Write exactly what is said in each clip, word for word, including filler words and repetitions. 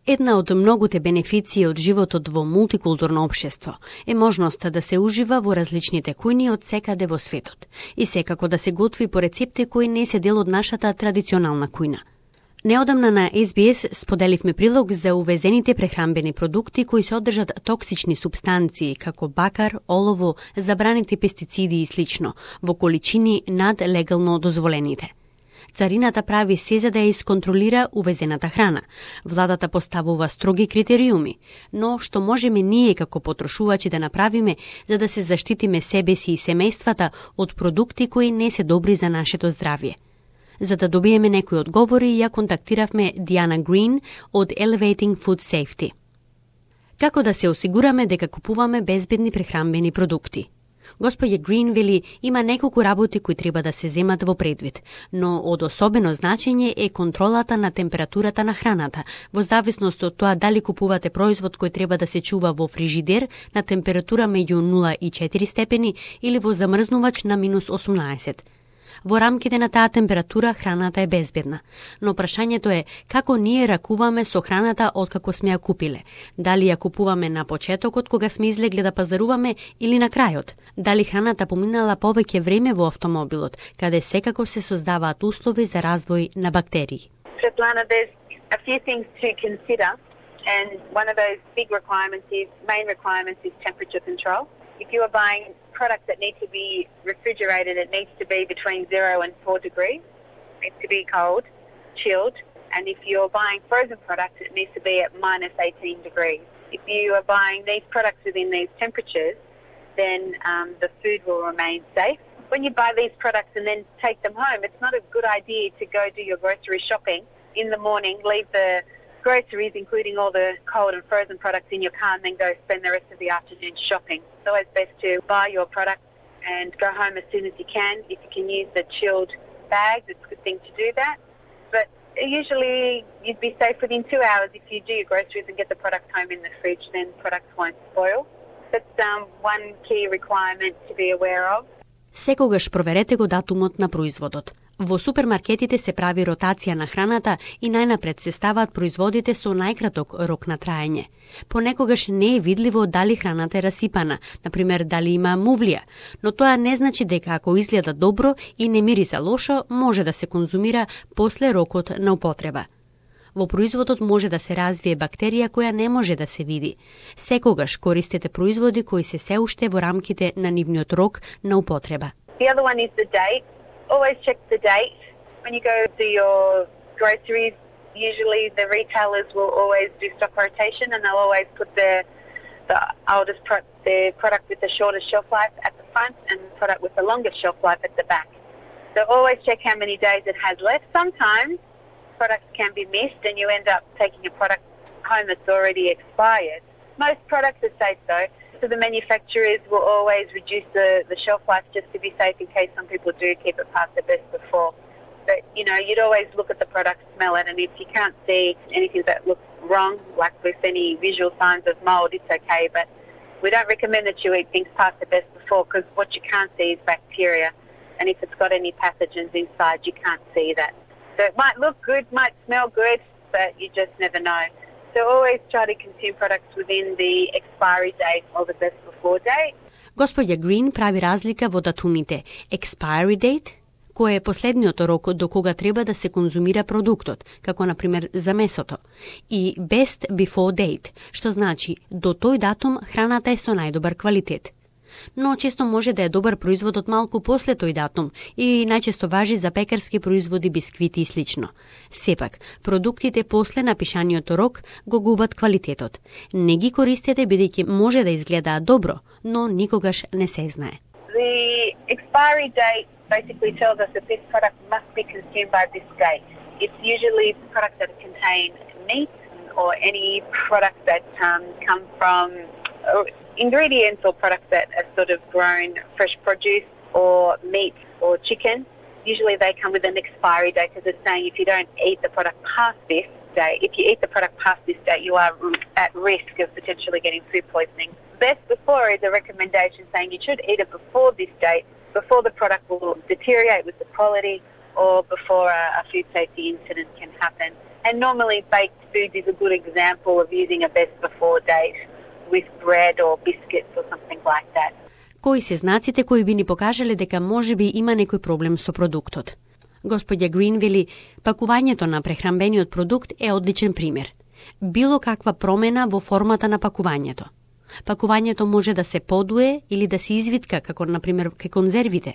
Една од многуте бенефиции од животот во мултикултурно општество е можноста да се ужива во различните кујни од секаде во светот и секако да се готви по рецепти кои не се дел од нашата традиционална кујна. Неодамна на Ес Би Ес споделивме прилог за увезените прехранбени продукти кои содржат токсични супстанции како бакар, олово, забраните пестициди и слично, во количини над легално дозволените. Царината прави се за да ја исконтролира увезената храна. Владата поставува строги критериуми, но што можеме ние како потрошувачи да направиме за да се заштитиме себе си и семејствата од продукти кои не се добри за нашето здравје? За да добиеме некои одговори, ја контактиравме Диана Грин од Elevating Food Safety. Како да се осигураме дека купуваме безбедни прехранбени продукти? Господја Грин вели има неколку работи кои треба да се земат во предвид, но од особено значење е контролата на температурата на храната, во зависност од тоа дали купувате производ кој треба да се чува во фрижидер на температура меѓу нула и четири степени или во замрзнувач на минус осумнаесет. Во рамките на таа температура храната е безбедна, но прашањето е како ние ракуваме со храната откако сме ја купиле. Дали ја купуваме на почетокот кога сме излегле да пазаруваме или на крајот? Дали храната поминала повеќе време во автомобилот, каде секако се создаваат услови за развој на бактерии? Svetlana, there's a few things to consider, and one of those big requirements is, main requirements is temperature control. If you are buying products that need to be refrigerated, it needs to be between zero and four degrees. It needs to be cold, chilled. And if you're buying frozen products, it needs to be at minus eighteen degrees. If you are buying these products within these temperatures, then um, the food will remain safe. When you buy these products and then take them home, it's not a good idea to go do your grocery shopping in the morning, leave the groceries, including all the cold and frozen products, in your car and then go spend the rest of the afternoon shopping. It's always best to buy your product and go home as soon as you can. If you can use the chilled bags, it's a good thing to do that. But usually you'd be safe within two hours if you do your groceries and get the product home in the fridge, then products won't spoil. That's um, one key requirement to be aware of. Секогаш проверете го датумот на производот. Во супермаркетите се прави ротација на храната и најнапред се ставаат производите со најкраток рок на траење. Понекогаш не е видливо дали храната е расипана, например дали има мувлија, но тоа не значи дека ако изгледа добро и не мириса лошо, може да се конзумира после рокот на употреба. Во производот може да се развие бактерија која не може да се види. Секогаш користете производи кои се се уште во рамките на нивниот рок на употреба. The other one is the date. Always check the date. When you go to your groceries, usually the retailers will always do stock rotation and they'll always put the the oldest pro- the product with the shortest shelf life at the front and the product with the longest shelf life at the back. So always check how many days it has left. Sometimes products can be missed and you end up taking a product home that's already expired. Most products are safe though. So the manufacturers will always reduce the, the shelf life just to be safe in case some people do keep it past the best before. But, you know, you'd always look at the product, smell it, and if you can't see anything that looks wrong, like with any visual signs of mold, it's okay. But we don't recommend that you eat things past the best before because what you can't see is bacteria. And if it's got any pathogens inside, you can't see that. So it might look good, might smell good, but you just never know. So always try to consume products within the expiry date or the best before date. Господја Грин прави разлика во датумите expiry date, кој е последниот рок до кога треба да се конзумира продуктот, како на пример за месото, и best before date, што значи до тој датум храната е со најдобар квалитет. Но често може да е добар производот малку после тој датум и најчесто важи за пекарски производи, бисквити и слично. Сепак, продуктите после напишаниот рок го губат квалитетот. Не ги користете бидејќи може да изгледаат добро, но никогаш не се знае. The expiry date basically tells us that this product must be consumed by this date. It's usually products that contain meat or any products that um, come from uh, ingredients or products that are sort of grown fresh produce or meat or chicken. Usually they come with an expiry date because it's saying if you don't eat the product past this date, if you eat the product past this date, you are at risk of potentially getting food poisoning. Best before is a recommendation saying you should eat it before this date, before the product will deteriorate with the quality or before a, a food safety incident can happen. And normally baked food is a good example of using a best before date with bread or biscuits or something like that. Кои се знаците кои би ни покажале дека можеби има некој проблем со продуктот? Господја Грин вели, пакувањето на прехранбениот продукт е одличен пример. Било каква промена во формата на пакувањето. Пакувањето може да се подуе или да се извитка, како например кај конзервите.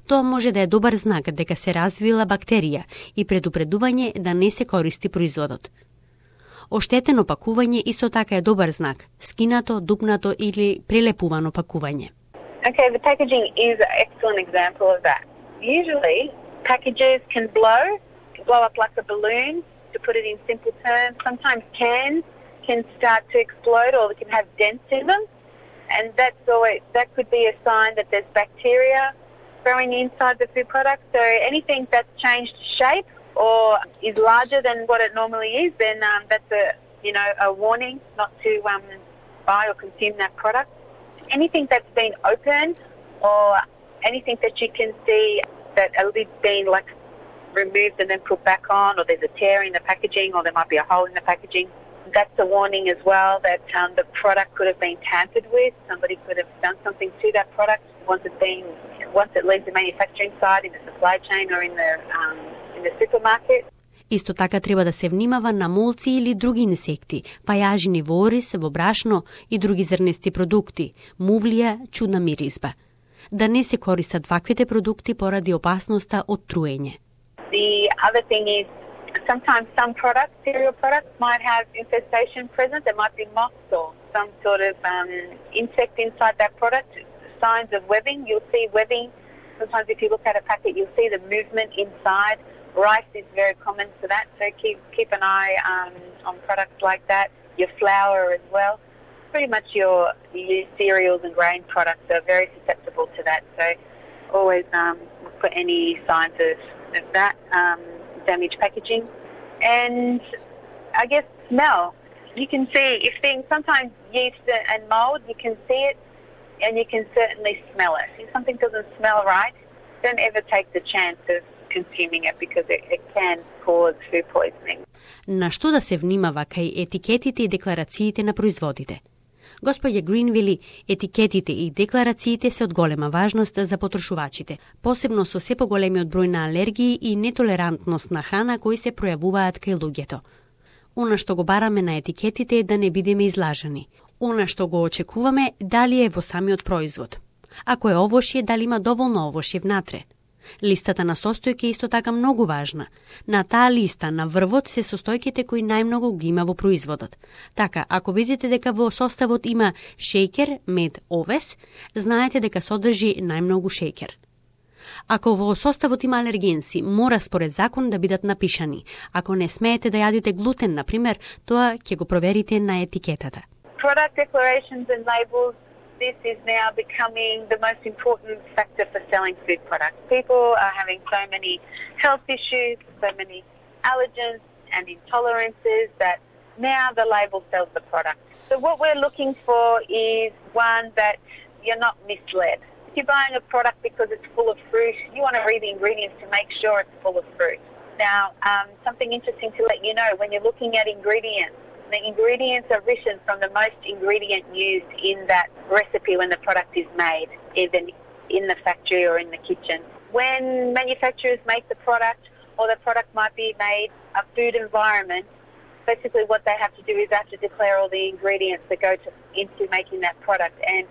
Тоа може да е добар знак дека се развила бактерија и предупредување да не се користи производот. Оштетено пакување исто така е добар знак, скинато, дупнато или прелепувано пакување. Okay, the packaging is an excellent example of that. Usually, packages can blow, can blow up like a balloon, to put it in simple terms. Sometimes cans can start to explode or they can have dents in them. And that's always, that could be a sign that there's bacteria growing inside the food product. So anything that's changed shape or is larger than what it normally is, then um, that's a, you know, a warning not to um, buy or consume that product. Anything that's been opened or anything that you can see that a lid's been like removed and then put back on, or there's a tear in the packaging, or there might be a hole in the packaging, that's a warning as well that um, the product could have been tampered with. Somebody could have done something to that product once it's been, once it leaves the manufacturing side in the supply chain or in the um, in the supermarket. Исто така треба да се внимава на молци или други инсекти, пајажини во ориз, во брашно и други зрнести продукти, мувлија, чудна миризба. Да не се користат ваквите продукти поради опасноста од труење. The other thing is sometimes some products, cereal products, might have infestation present. There might be moths or some sort of um, insect inside that product. Signs of webbing. You'll see webbing. Sometimes if you look at a packet, you'll see the movement inside. Rice is very common for that, so keep keep an eye um, on products like that. Your flour as well. Pretty much your, your cereals and grain products are very susceptible to that. So always um, look for any signs of, of that, um, damaged packaging. And I guess smell. You can see if things, sometimes yeast and mold, you can see it and you can certainly smell it. If something doesn't smell right, don't ever take the chance of consuming it because it, it can cause food poisoning. На што да се внимава кај етикетите и декларациите на производите? Господја Грин вели, етикетите и декларациите се од голема важност за потрошувачите, посебно со се поголемиот број на алергии и нетолерантност на храна кои се пројавуваат кај луѓето. Она што го бараме на етикетите е да не бидеме излажани. Она што го очекуваме дали е во самиот производ. Ако е овошје, дали има доволно овошје внатре. Листата на состојки е исто така многу важна. На таа листа на врвот се состојките кои најмногу ги има во производот. Така, ако видите дека во составот има шејкер, мед, овес, знаете дека содржи најмногу шејкер. Ако во составот има алергенси, мора според закон да бидат напишани. Ако не смеете да јадите глутен, например, тоа ќе го проверите на етикетата. Product declarations and labels. This is now becoming the most important factor for selling food products. People are having so many health issues, so many allergens and intolerances that now the label sells the product. So what we're looking for is one that you're not misled. If you're buying a product because it's full of fruit, you want to read the ingredients to make sure it's full of fruit. Now, um, something interesting to let you know, when you're looking at ingredients, the ingredients are written from the most ingredient used in that recipe when the product is made, either in the factory or in the kitchen. When manufacturers make the product, or the product might be made a food environment, basically what they have to do is they have to declare all the ingredients that go to, into making that product, and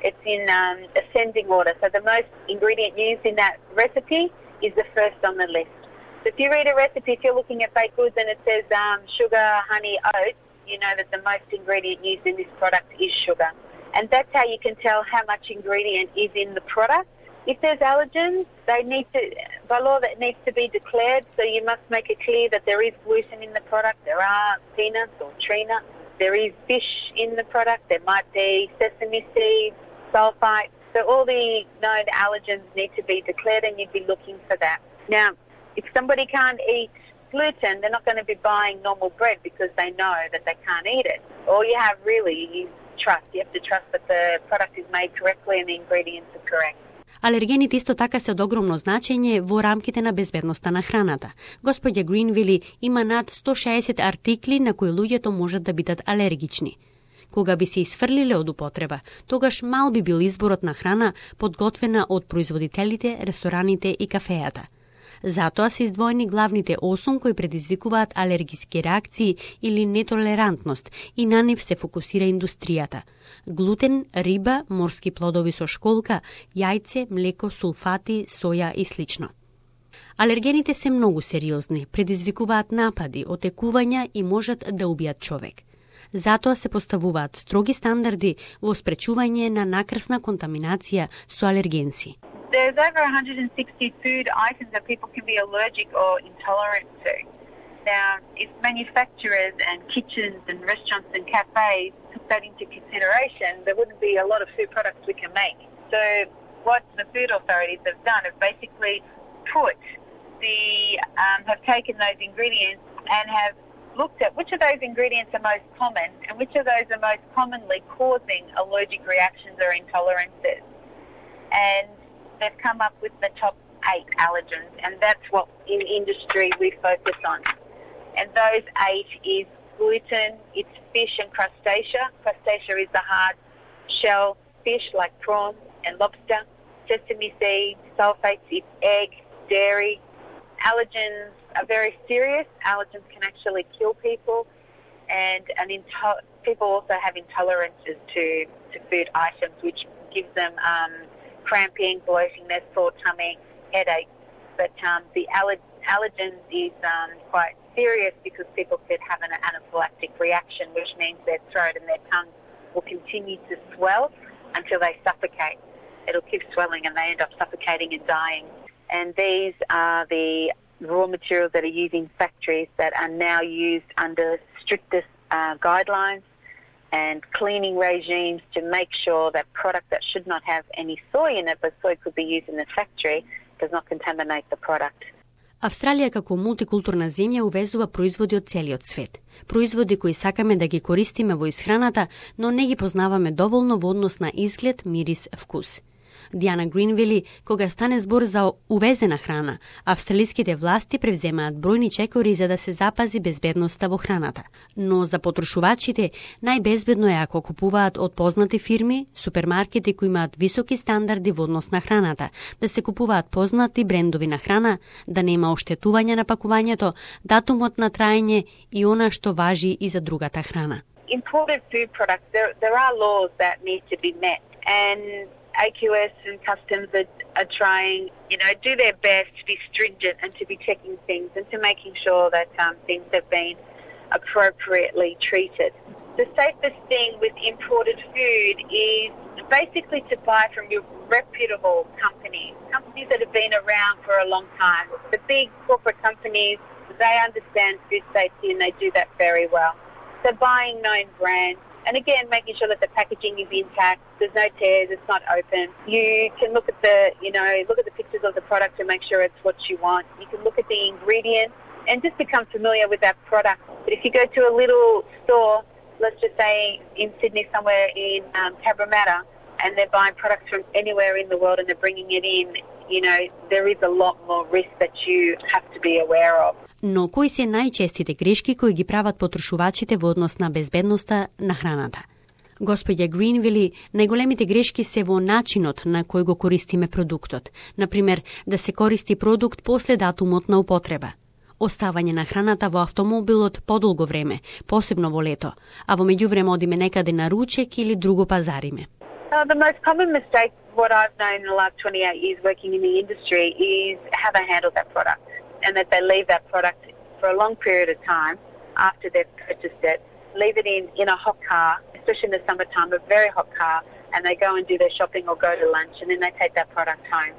it's in um, ascending order. So the most ingredient used in that recipe is the first on the list. So if you read a recipe, if you're looking at baked goods and it says um, sugar, honey, oats, you know that the most ingredient used in this product is sugar. And that's how you can tell how much ingredient is in the product. If there's allergens, they need to, by law, that needs to be declared. So you must make it clear that there is gluten in the product. There are peanuts or tree nuts. There is fish in the product. There might be sesame seeds, sulfite. So all the known allergens need to be declared, and you'd be looking for that. Now, if somebody can't eat gluten, they're not going to be buying normal bread because they know that they can't eat it. All you have really is trust. You have to trust that the product is made correctly and the ingredients are correct. Алергените исто така се од огромно значење во рамките на безбедноста на храната. Господја Грин вели има над сто шеесет артикли на кои луѓето можат да бидат алергични. Кога би се исфрлиле од употреба, тогаш мал би бил изборот на храна подготвена од производителите, рестораните и кафејата. Затоа се издвоени главните осум кои предизвикуваат алергиски реакции или нетолерантност и на нив се фокусира индустријата. Глутен, риба, морски плодови со школка, јајце, млеко, сулфати, соја и слично. Алергените се многу сериозни, предизвикуваат напади, отекувања и можат да убијат човек. Затоа се поставуваат строги стандарди во спречување на накрсна контаминација со алергенси. There's over one hundred sixty food items that people can be allergic or intolerant to. Now, if manufacturers and kitchens and restaurants and cafes took that into consideration, there wouldn't be a lot of food products we can make. So what the food authorities have done is basically put the, um, have taken those ingredients and have looked at which of those ingredients are most common and which of those are most commonly causing allergic reactions or intolerances. And they've come up with the top eight allergens, and that's what in industry we focus on. And those eight is gluten, it's fish and crustacea. Crustacea is the hard shell fish like prawn and lobster. Sesame seeds, sulfates, it's egg, dairy. Allergens are very serious. Allergens can actually kill people, and an into- people also have intolerances to, to food items, which gives them um, cramping, bloatingness, sore tummy, headache. But um, the aller- allergens is um, quite serious because people could have an anaphylactic reaction, which means their throat and their tongue will continue to swell until they suffocate. It'll keep swelling and they end up suffocating and dying. And these are the raw materials that are used in factories that are now used under strictest uh, guidelines and cleaning regimes to make sure that product that should not have any soy in it, but soy could be used in the factory, does not contaminate the product. Австралија како мултикултурна земја увезува производи од целиот свет. Производи кои сакаме да ги користиме во исхраната, но не ги познаваме доволно во однос на изглед, мирис, вкус. Диана Грин вели, кога стане збор за увезена храна, австралиските власти превземаат бројни чекори за да се запази безбедноста во храната. Но за потрошувачите, најбезбедно е ако купуваат од познати фирми, супермаркети кои имаат високи стандарди во однос на храната, да се купуваат познати брендови на храна, да нема оштетување на пакувањето, датумот на траење и она што важи и за другата храна. Imported food products, there, there are laws that need to be met, and A Q S and customs are, are trying, you know, do their best to be stringent and to be checking things and to making sure that um, things have been appropriately treated. The safest thing with imported food is basically to buy from your reputable companies, companies that have been around for a long time. The big corporate companies, they understand food safety and they do that very well. So buying known brands, and again, making sure that the packaging is intact, there's no tears, it's not open. You can look at the, you know, look at the pictures of the product to make sure it's what you want. You can look at the ingredients and just become familiar with that product. But if you go to a little store, let's just say in Sydney somewhere in um, Cabramatta, and they're buying products from anywhere in the world and they're bringing it in, you know, there is a lot more risk that you have to be aware of. Но кои се најчестите грешки кои ги прават потрошувачите во однос на безбедноста на храната? Господја Грин вели, најголемите грешки се во начинот на кој го користиме продуктот. Например, да се користи продукт после датумот на употреба. Оставање на храната во автомобилот подолго време, посебно во лето, а во меѓувреме одиме некаде на ручек или друго пазариме. Uh, the most common mistake, what I've known in the last twenty-eight years working in the industry, is how they handle that product. And that they leave that product for a long period of time after they've purchased it, leave it in, in a hot car, especially in the summertime, a very hot car, and they go and do their shopping or go to lunch, and then they take that product home.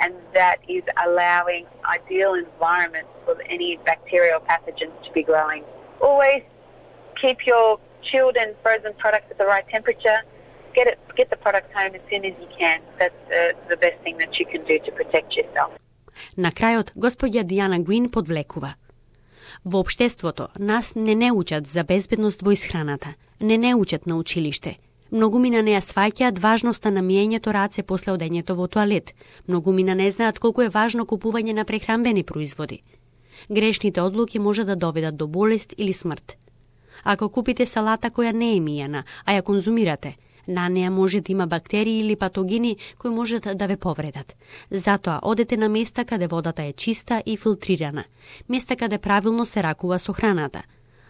And that is allowing ideal environments for any bacterial pathogens to be growing. Always keep your chilled and frozen products at the right temperature. Get it, get the product home as soon as you can. That's uh, the best thing that you can do to protect yourself. На крајот, господја Диана Грин подвлекува. Во општеството нас не не учат за безбедност во исхраната, не не учат на училиште. Многумина не ја сваќаат важноста на миењето раце после одењето во тоалет. Многумина не знаат колку е важно купување на прехранбени производи. Грешните одлуки може да доведат до болест или смрт. Ако купите салата која не е мијана, а ја конзумирате, на неа може да има бактерии или патогени кои можат да ве повредат. Затоа одете на места каде водата е чиста и филтрирана, места каде правилно се ракува со храната.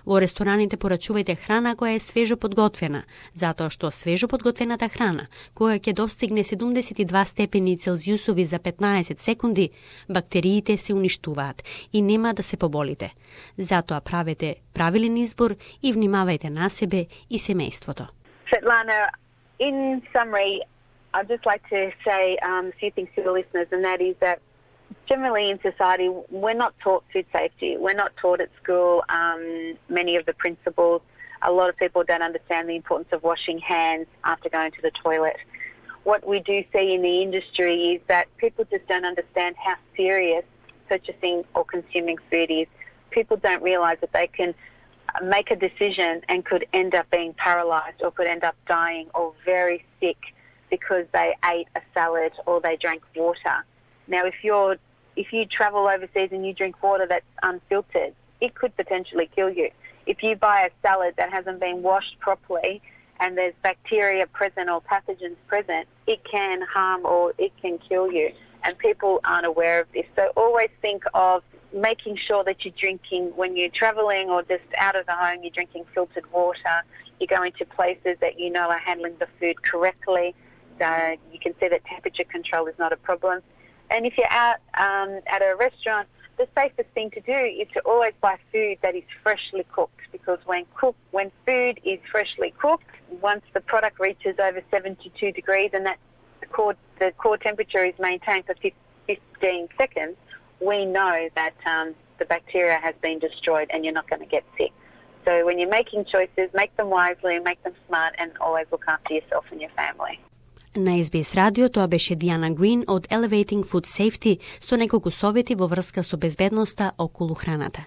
Во рестораните порачувајте храна која е свежо подготвена, затоа што свежо подготвената храна, која ќе достигне седумдесет и два степени Целзиусови за петнаесет секунди, бактериите се уништуваат и нема да се поболите. Затоа правете правилен избор и внимавајте на себе и семејството. Svetlana, in summary, I'd just like to say um, a few things to the listeners, and that is that generally in society, we're not taught food safety. We're not taught at school um, many of the principles. A lot of people don't understand the importance of washing hands after going to the toilet. What we do see in the industry is that people just don't understand how serious purchasing or consuming food is. People don't realise that they can make a decision and could end up being paralysed or could end up dying or very sick because they ate a salad or they drank water. Now, if you're if you travel overseas and you drink water that's unfiltered, it could potentially kill you. If you buy a salad that hasn't been washed properly and there's bacteria present or pathogens present, it can harm or it can kill you. And people aren't aware of this. So always think of making sure that you're drinking, when you're travelling or just out of the home, you're drinking filtered water. You're going to places that you know are handling the food correctly. So you can see that temperature control is not a problem. And if you're out um, at a restaurant, the safest thing to do is to always buy food that is freshly cooked, because when cook, when food is freshly cooked, once the product reaches over seventy-two degrees and that the core, the core temperature is maintained for fifteen seconds, we know that um, the bacteria has been destroyed and you're not going to get sick. So when you're making choices, make them wisely, make them smart, and always look after yourself and your family. На Ес Би Ес Радио тоа беше Диана Грин од Elevating Food Safety со неколку совети во врска со безбедноста околу храната.